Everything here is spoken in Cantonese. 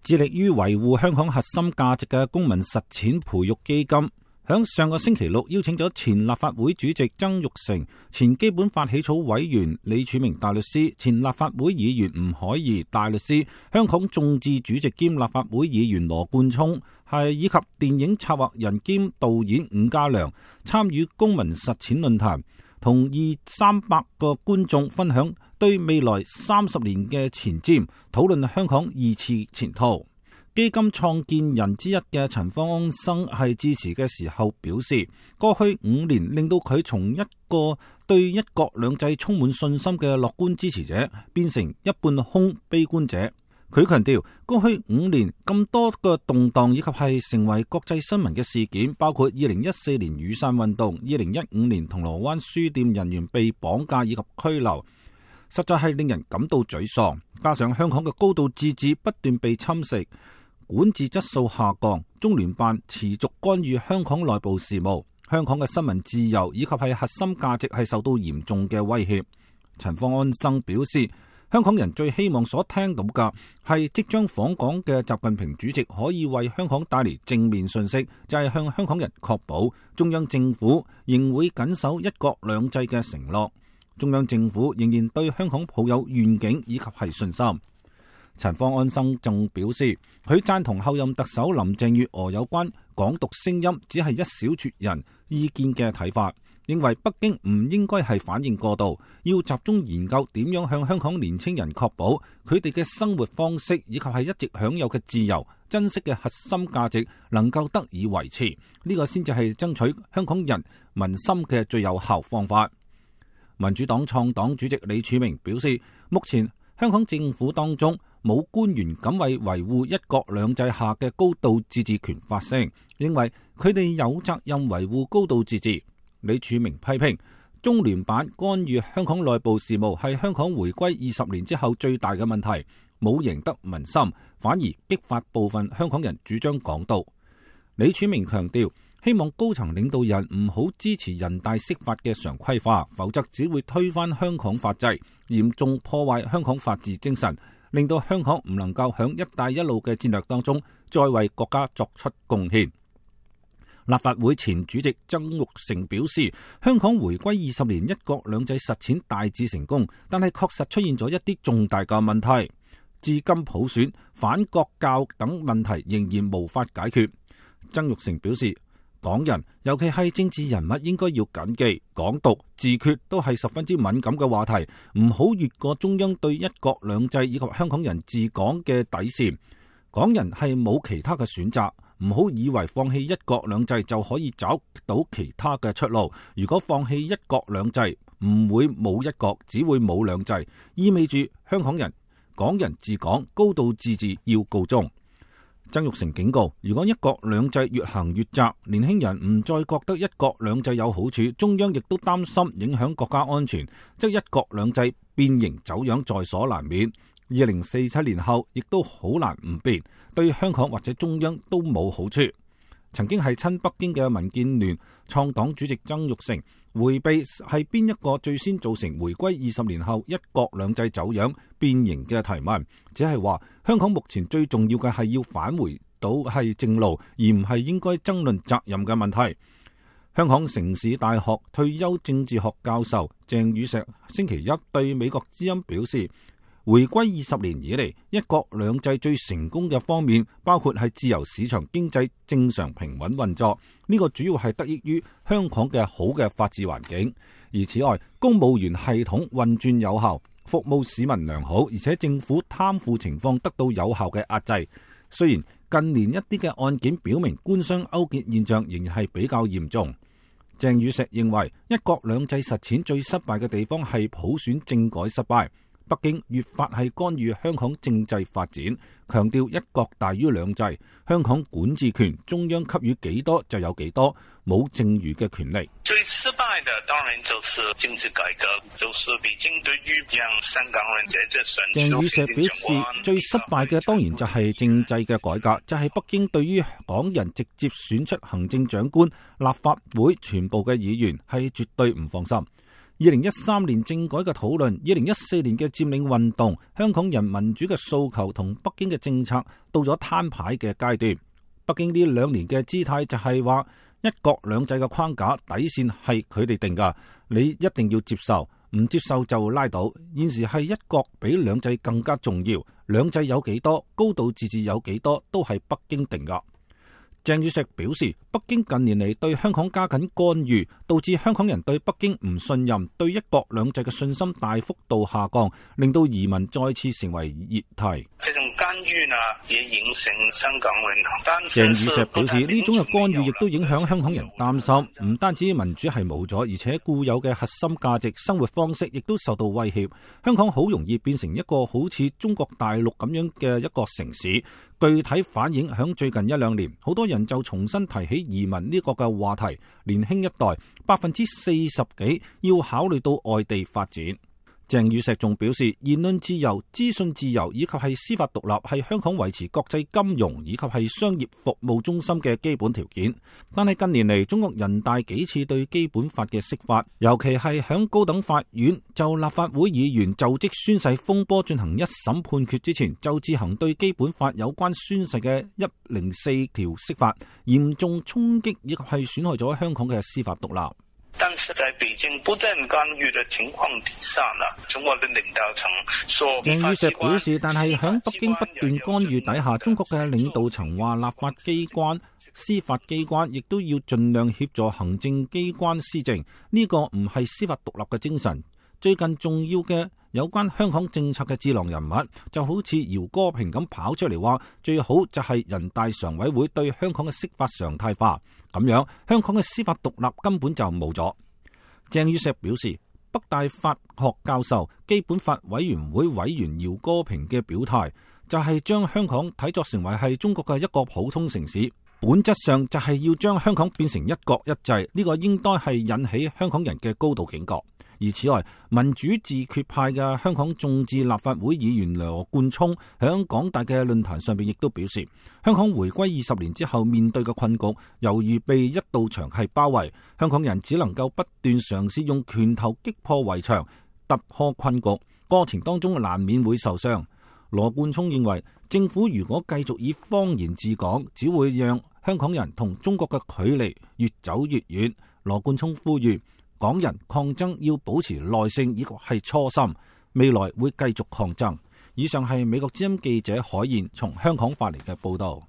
致力於維護香港核心價值嘅公民實踐培育基金，響上個星期六邀請咗前立法會主席曾鈺成、前基本法起草委員李柱銘大律師、前立法會議員吳靄儀大律師、香港眾志主席兼立法會議員羅冠聰，以及電影策劃人兼導演伍嘉良參與公民實踐論壇，同200-300個觀眾分享對未來30年嘅前瞻，討論香港2次前途。基金創建人之一嘅陳方安生係致辭嘅時候表示，過去5年令到佢從一個對一國兩制充滿信心嘅樂觀支持者，變成一半空悲觀者。佢強調，過去5年咁多個動盪以及係成為國際新聞嘅事件，包括2014年雨傘運動、2015年銅鑼灣書店人員被綁架以及拘留，實在係令人感到沮喪。加上香港嘅高度自治不斷被侵蝕，管治質素下降，中聯辦持續干預香港內部事務，香港嘅新聞自由以及係核心價值係受到嚴重嘅威脅。陳方安生表示，香港人最希望所聽到嘅係即將訪港嘅習近平主席可以為香港帶嚟正面信息，就係向香港人確保中央政府仍會緊守一國兩制嘅承諾，中央政府仍然對香港抱有願景以及係信心。陳方安生仲表示，佢贊同後任特首林鄭月娥有關港獨聲音只係一小撮人意見嘅睇法，認為北京唔應該係反應過度，要集中研究點樣向香港年青人確保佢哋嘅生活方式以及係一直享有嘅自由、珍惜嘅核心價值能夠得以維持，呢個先至係爭取香港人民心嘅最有效方法。民主黨創黨主席李柱銘表示，目前香港政府當中冇官員敢為維護一國兩制下嘅高度自治權發聲，認為佢哋有責任維護高度自治。李柱銘批評中聯辦干預香港內部事務係香港回歸20年之後最大嘅問題，冇贏得民心，反而激發部分香港人主張港獨。李柱銘強調，希望高層領導人唔好支持人大釋法嘅常規化，否則只會推翻香港法制，嚴重破壞香港法治精神，令到香港唔能夠響一帶一路嘅戰略當中再為國家作出貢獻。立法會前主席曾鈺成表示，香港回歸20年，一國兩制實踐大致成功，但係確實出現咗一啲重大嘅問題，至今普選、反國教等問題仍然無法解決。曾鈺成表示，港人尤其係政治人物應該要謹記，港獨、自決都係十分之敏感嘅話題，唔好越過中央對一國兩制以及香港人治港嘅底線。港人係冇其他嘅選擇，唔好以為放棄一國兩制就可以找到其他嘅出路。如果放棄一國兩制，唔會冇一國，只會冇兩制，意味住香港人、港人治港、高度自治要告終。曾鈺成警告，如果一國兩制越行越窄，年輕人唔再覺得一國兩制有好處，中央亦都擔心影響國家安全，則一國兩制變形走樣在所難免。2047年後亦都好難唔變，對香港或者中央都冇好處。曾經係親北京嘅民建聯創黨主席曾鈺成迴避係邊一個最先造成回歸20年後一國兩制走樣變形嘅提問，只係話香港目前最重要嘅係要返回到係正路，而唔係應該爭論責任嘅問題。香港城市大學退休政治學教授鄭宇碩星期一對美國之音表示，回歸20年以嚟，一國兩制最成功嘅方面，包括係自由市場經濟正常平穩運作，呢個主要係得益於香港嘅好嘅法治環境。而此外，公務員系統運轉有效，服務市民良好，而且政府貪腐情況得到有效嘅壓制。雖然近年一啲嘅案件表明官商勾結現象仍然係比較嚴重。鄭宇碩認為，一國兩制實踐最失敗嘅地方係普選政改失敗。北京越發係干預香港政制發展，強調一國大於兩制，香港管治權中央給予幾多就有幾多，冇剩餘嘅權利。最失敗的當然就是政治改革，就是北京對於讓香港人在這選舉。鄭宇碩表示，最失敗嘅當然就係政制嘅改革，就係北京對於港人直接選出行政長官、立法會全部嘅議員係絕對唔放心。2013年政改嘅討論，2014年嘅佔領運動，香港人民主嘅訴求同北京嘅政策到咗攤牌嘅階段。北京呢2年嘅姿態就係話一國兩制嘅框架底線係佢哋定㗎，你一定要接受，唔接受就拉倒。現時係一國比兩制更加重要，兩制有幾多，高度自治有幾多，都係北京定㗎。鄭宇碩表示，北京近年嚟對香港加緊干預，導致香港人對北京唔信任，對一國兩制嘅信心大幅度下降，令到移民再次成為熱題。這種干預呢，也影響香港人。鄭宇碩表示，呢種嘅干預亦都影響香港人擔心，唔單止民主係冇咗，而且固有嘅核心價值、生活方式亦都受到威脅。香港好容易變成一個好似中國大陸咁樣嘅一個城市。具體反映響最近1-2年，好多人就重新提起移民呢個嘅話題，年輕一代40%幾要考慮到外地發展。鄭宇碩仲表示，言論自由、資訊自由以及係司法獨立係香港維持國際金融以及係商業服務中心嘅基本條件。但係近年嚟，中國人大幾次對基本法嘅釋法，尤其係響高等法院就立法會議員就職宣誓風波進行一審判決之前，就自行對基本法有關宣誓嘅104條釋法，嚴重衝擊以及係損害咗香港嘅司法獨立。但是在北京不斷干預的情況底下呢，中國的領導層說，鄭宇碩表示，但係響北京不斷干預底下，中國嘅領導層話立法機關、司法機關亦都要盡量協助行政機關施政，呢個唔係司法獨立嘅精神。最近重要嘅有關香港政策嘅智囊人物，就好似姚歌平咁跑出嚟話，最好就係人大常委會對香港嘅釋法常態化，咁樣香港嘅司法獨立根本就冇咗。鄭宇碩表示，北大法學教授、基本法委員會委員姚歌平嘅表態，就係將香港睇作成為係中國嘅一個普通城市，本質上就係要將香港變成一國一制，呢個應該係引起香港人嘅高度警覺。而此外，民主自決派嘅香港眾志立法會議員羅冠聰響港大嘅論壇上邊亦都表示，香港回歸20年之後面對嘅困局，猶如被一道牆係包圍，香港人只能夠不斷嘗試用拳頭擊破圍牆，突破困局，過程當中難免會受傷。羅冠聰認為，政府如果繼續以謊言治港，只會讓香港人同中國嘅距離越走越遠。羅冠聰呼籲港人抗爭要保持耐性，以及係初心，未來會繼續抗爭。以上係美國之音記者海燕從香港發嚟嘅報道。